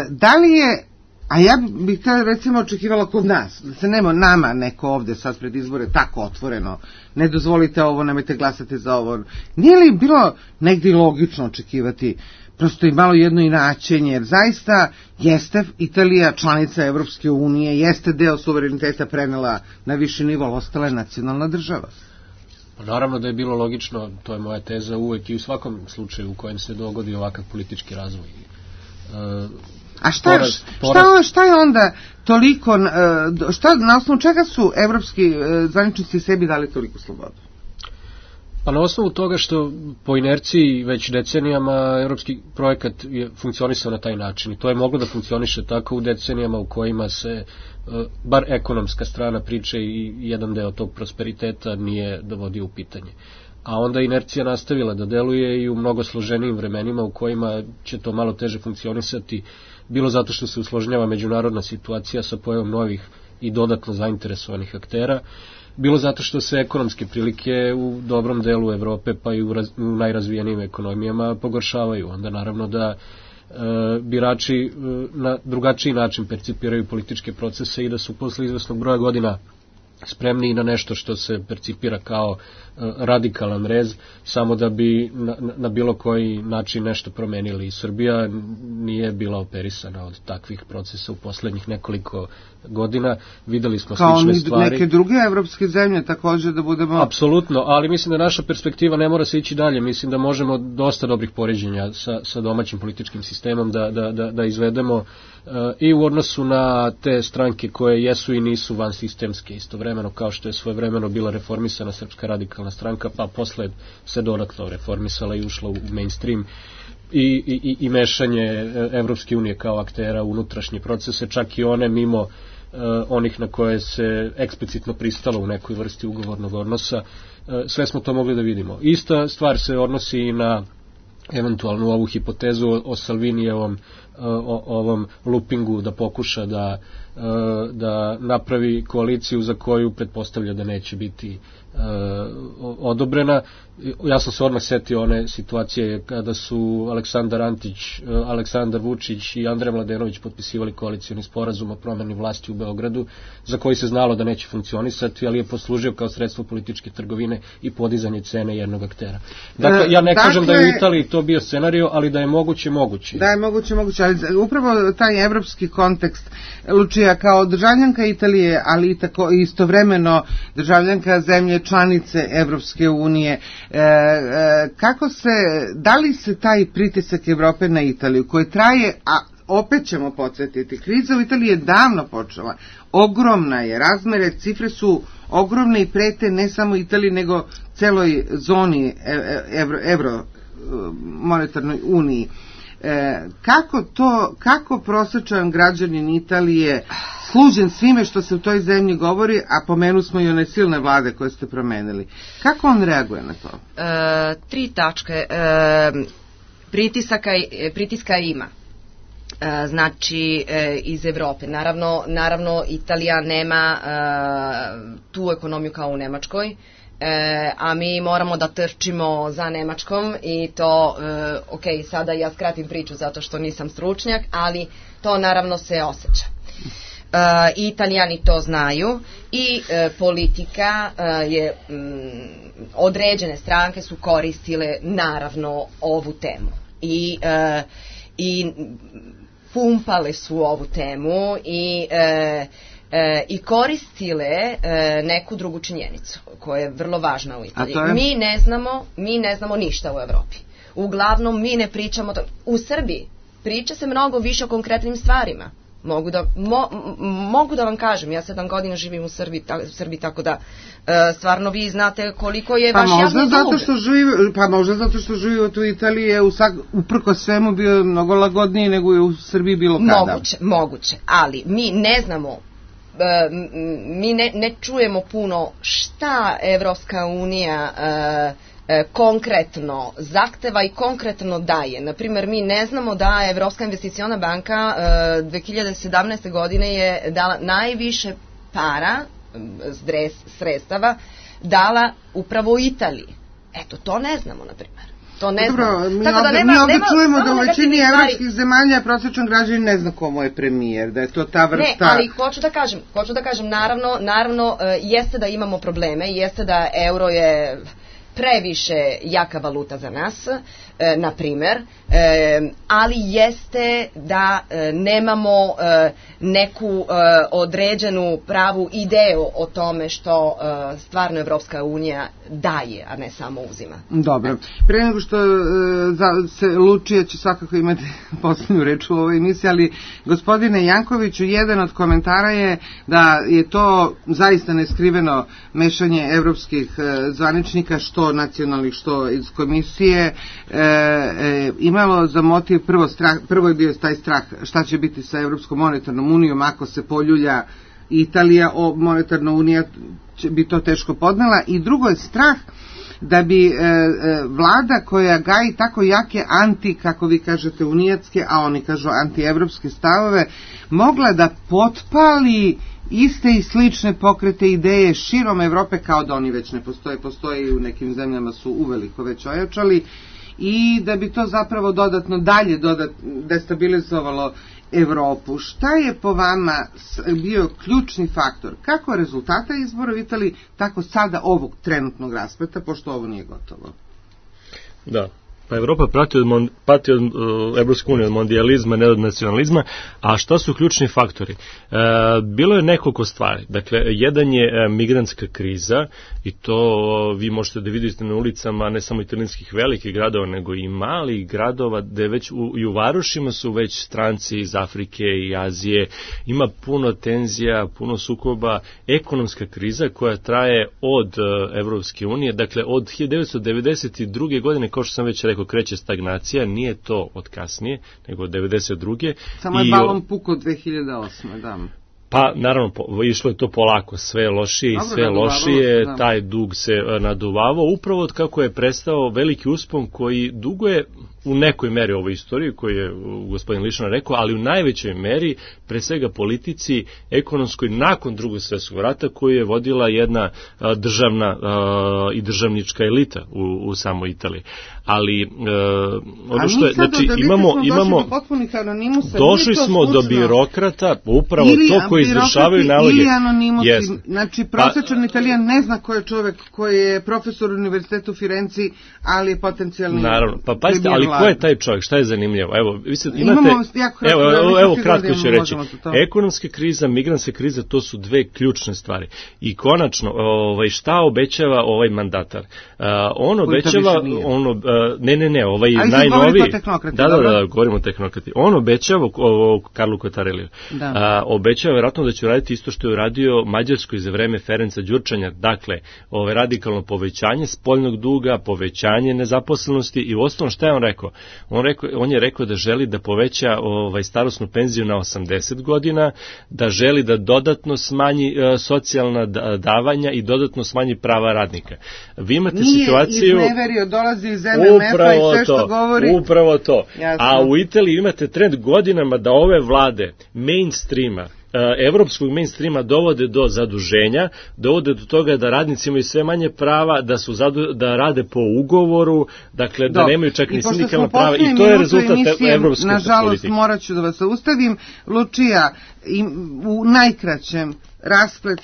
da li je, a ja bih tada recimo očekivala kod nas, da se nama neko ovde sad pred izbore tako otvoreno, ne dozvolite ovo, nemojte glasati za ovo, nije li bilo negdje logično očekivati prosto i malo jedno inačenje, jer zaista jeste Italija članica Evropske unije, jeste deo suvereniteta prenela na viši nivo, ali ostala je nacionalna država. Naravno da je bilo logično, to je moja teza, uvek i u svakom slučaju u kojem se dogodi ovakav politički razvoj. A šta je onda toliko, na osnovu čega su evropski zvaničnici sebi dali toliko slobodu? Pa na osnovu toga što po inerciji već decenijama evropski projekat je funkcionisao na taj način i to je moglo da funkcioniše tako u decenijama u kojima se bar ekonomska strana priče i jedan deo tog prosperiteta nije dovodio u pitanje. A onda inercija nastavila da deluje i u mnogo složenijim vremenima u kojima će to malo teže funkcionisati, bilo zato što se usložnjava međunarodna situacija sa pojavom novih i dodatno zainteresovanih aktera, bilo zato što se ekonomske prilike u dobrom delu Evrope pa i u najrazvijenijim ekonomijama pogoršavaju. Onda naravno da birači na drugačiji način percipiraju političke procese i da su posle izvesnog broja godina spremni i na nešto što se percipira kao radikalan rez, samo da bi na bilo koji način nešto promenili. I Srbija nije bila operisana od takvih procesa u poslednjih nekoliko godina. Videli smo slične stvari. Kao neke druge evropske zemlje također da budemo... Apsolutno, ali mislim da naša perspektiva ne mora se ići dalje. Mislim da možemo dosta dobrih poređenja sa domaćim političkim sistemom da izvedemo i u odnosu na te stranke koje jesu i nisu vansistemske istovremeno, kao što je svojevremeno bila reformisana Srpska radikalna stranka, pa posle se dodatno reformisala i ušla u mainstream i mešanje Evropske unije kao aktera u unutrašnje procese, čak i one mimo onih na koje se eksplicitno pristalo u nekoj vrsti ugovornog odnosa. Sve smo to mogli da vidimo. Ista stvar se odnosi i na eventualnu ovu hipotezu o Salvinijevom ovom lupingu da pokuša da napravi koaliciju za koju pretpostavlja da neće biti odobrena. Ja sam se odmah setio one situacije kada su Aleksandar Antić, Aleksandar Vučić i Andrej Mladenović potpisivali koalicioni sporazum o promeni vlasti u Beogradu, za koji se znalo da neće funkcionisati, ali je poslužio kao sredstvo političke trgovine i podizanje cene jednog aktera. Dakle, ja ne kažem da je u Italiji to bio scenario, ali da je moguće. Da je moguće, ali upravo taj evropski kontekst, Lučija, kao državljanka Italije, ali i tako istovremeno državljanka zemlje članice Evropske unije, da li se taj pritisak Evrope na Italiju, koji traje, a opet ćemo podsjetiti, kriza u Italiji je davno počela, ogromna je, razmere, cifre su ogromne i prete ne samo Italiji, nego celoj zoni Evro monetarnoj uniji. Kako prosječan građanin Italije, služen svime što se u toj zemlji govori, a pomenu smo i one silne vlade koje ste promenili, kako on reaguje na to? 3 tačke. Pritiska ima. Znači iz Evrope. Naravno Italija nema tu ekonomiju kao u Nemačkoj, a mi moramo da trčimo za Nemačkom i to, ok, sada ja skratim priču zato što nisam stručnjak, ali to naravno se osjeća. Italijani to znaju i politika je, određene stranke su koristile naravno ovu temu i pumpale su ovu temu i koristile neku drugu činjenicu koja je vrlo važna u Italiji. Mi ne znamo ništa u Evropi. Uglavnom mi ne pričamo u Srbiji. Priča se mnogo više o konkretnim stvarima. Mogu da vam kažem, ja 7 godina živim u Srbiji, tako da stvarno vi znate koliko je vaš javni dug. Pa možda zato što život u Italiji je uprko svemu bio mnogo lagodniji nego je u Srbiji bilo kada. Moguće, ali mi ne znamo, mi ne čujemo puno šta Evropska unija konkretno zahteva i konkretno daje. Naprimjer, mi ne znamo da Evropska investiciona banka 2017. godine je dala najviše para, sredstava, dala upravo u Italiji. Eto, to ne znamo, naprimjer. Dobro, mi ovdje čujemo da u većini evropskih zemalja prosječan građanin ne zna komu je premijer, da je to ta vrsta... Ne, ali hoću da kažem, naravno, jeste da imamo probleme, jeste da euro je previše jaka valuta za nas, na primer, ali jeste da nemamo neku određenu pravu ideju o tome što stvarno Evropska unija daje, a ne samo uzima. Dobro. Pre nego što se Lučija će svakako imati posljednju reč u ovoj emisiji, ali gospodine Jankoviću, jedan od komentara je da je to zaista neskriveno mešanje evropskih zvaničnika, što nacionalnih, što iz komisije, imalo za motiv prvo je bio taj strah šta će biti sa Evropskom monetarnom unijom ako se poljulja Italija, monetarna unija bi to teško podnela, i drugo je strah da bi vlada koja gaji tako jake kako vi kažete unijatske, a oni kažu antievropske stavove, mogla da potpali iste i slične pokrete ideje širom Evrope, kao da oni već ne postoje i u nekim zemljama su uveliko već ojačali, i da bi to zapravo dodatno destabilizovalo Evropu. Šta je po vama bio ključni faktor, kako rezultata izbora u Italiji, tako sada ovog trenutnog raspleta, pošto ovo nije gotovo? Da. Pa Evropa pati od Evropske unije, od mondijalizma, ne od nacionalizma, a šta su ključni faktori? Bilo je nekoliko stvari. Dakle, jedan je migrantska kriza, i to vi možete da vidite na ulicama ne samo italijanskih velikih gradova, nego i malih gradova, gde već i u varošima su već stranci iz Afrike i Azije, ima puno tenzija, puno sukoba, ekonomska kriza koja traje od Evropske unije, dakle od 1992. godine, kao što sam već rekao, kreće stagnacija, nije to od kasnije, nego od 92. Samo je balon pukao 2008. da. Pa, naravno, išlo je to polako, sve lošije i sve lošije, taj dug se naduvavao, upravo od kako je prestao veliki uspon koji duguje u nekoj meri ovoj istoriji, koju je gospodin Lišnar rekao, ali u najvećoj meri, pre svega politici, ekonomskoj, nakon Drugog svjetskog rata, koju je vodila jedna državna i državnička elita u samoj Italiji. Ali, ono što je, znači, imamo došli smo do birokrata, upravo to koji izvršavaju naloge. Ili anonimusi, znači prosječan Italijan ne zna ko je čovek koji je profesor u univerzitetu u Firenci, ali je potencijalni. Naravno, pa pazite, ali ko je taj čovjek, šta je zanimljivo? Evo, vi sad imate, evo kratko ću reći, ekonomska kriza, migrantska kriza, to su dve ključne stvari. I konačno, šta obećava ovaj mandatar? On obećava, ovaj najnoviji, da, govorimo o tehnokrati, on obećava, Karlu Kotareliju, obećava vjerojatno da će uraditi isto što je uradio Mađarskoj za vreme Ferenca Đurčanja, dakle, radikalno povećanje spoljnog duga, povećanje nezaposlenosti, i uostalom šta je on rekao? On je rekao da želi da poveća starosnu penziju na 80 godina, da želi da dodatno smanji socijalna davanja i dodatno smanji prava radnika. Vi imate situaciju... Nije izneverio, dolazi iz MMF-a i sve što govori... Upravo to. Jasno. A u Italiji imate trend godinama da ove vlade mainstreama, evropskog mainstreama dovode do zaduženja, dovode do toga da radnici imaju sve manje prava, da rade po ugovoru, dakle da nemaju čak ni sindikalna prava, i to je rezultat evropske politike. Nažalost, morat ću da vas zaustavim. Lučija, u najkraćem rasplet,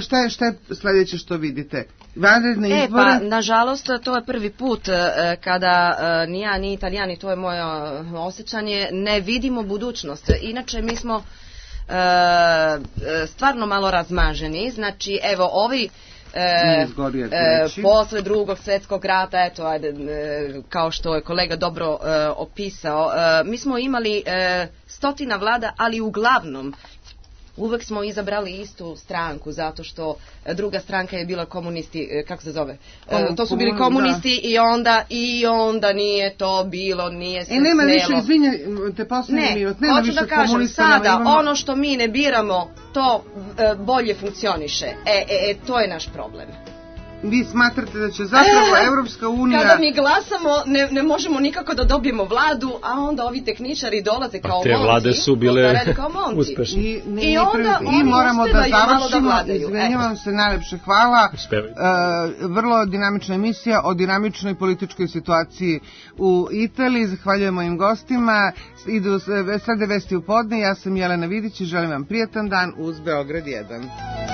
šta je sljedeće što vidite? Vanredne izbore? Pa, nažalost, to je prvi put kada ni ja, ni Italijani, to je moje osjećanje, ne vidimo budućnost. Inače, mi smo stvarno malo razmaženi, znači evo ovi posle Drugog svjetskog rata, eto, kao što je kolega dobro opisao, mi smo imali stotina vlada, ali uglavnom uvek smo izabrali istu stranku, zato što druga stranka je bila komunisti, kako se zove? To su bili komunisti, i onda nije to bilo, nije se snelo. Nema više, izvinjate, posljednji minut, nema više komunista. Hoću da kažem, sada, ono što mi ne biramo, to bolje funkcioniše. To je naš problem. Vi smatrate da će zapravo Evropska unija... Kada mi glasamo, ne možemo nikako da dobijemo vladu, a onda ovi tehničari dolaze kao monci. Te vlade su bile uspešne. I moramo da završimo. Izvinjavam se, najlepše hvala. Vrlo dinamična emisija o dinamičnoj političkoj situaciji u Italiji. Zahvaljujemo mojim gostima. Idu Srede vesti u podne. Ja sam Jelena Vidić i želim vam prijatan dan uz Beograd 1.